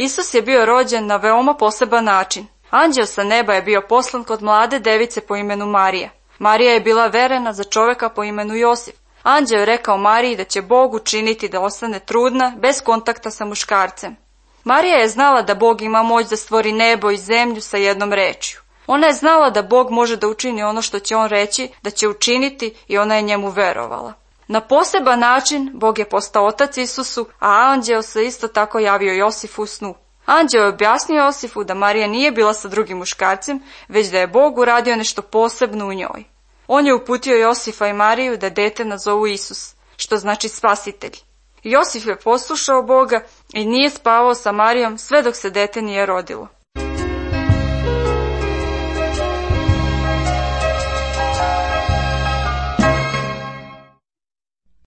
Isus je bio rođen na veoma poseban način. Anđeo sa neba je bio poslan kod mlade device po imenu Marija. Marija je bila verena za čoveka po imenu Josif. Anđeo je rekao Mariji da će Bog učiniti da ostane trudna, bez kontakta sa muškarcem. Marija je znala da Bog ima moć da stvori nebo i zemlju sa jednom rečju. Ona je znala da Bog može da učini ono što će on reći da će učiniti i ona je njemu verovala. Na poseban način Bog je postao otac Isusu, a anđeo se isto tako javio Josifu u snu. Anđeo je objasnio Josifu da Marija nije bila sa drugim muškarcem, već da je Bog uradio nešto posebno u njoj. On je uputio Josifa i Mariju da dete nazovu Isus, što znači spasitelj. Josif je poslušao Boga i nije spavao sa Marijom sve dok se dete nije rodilo.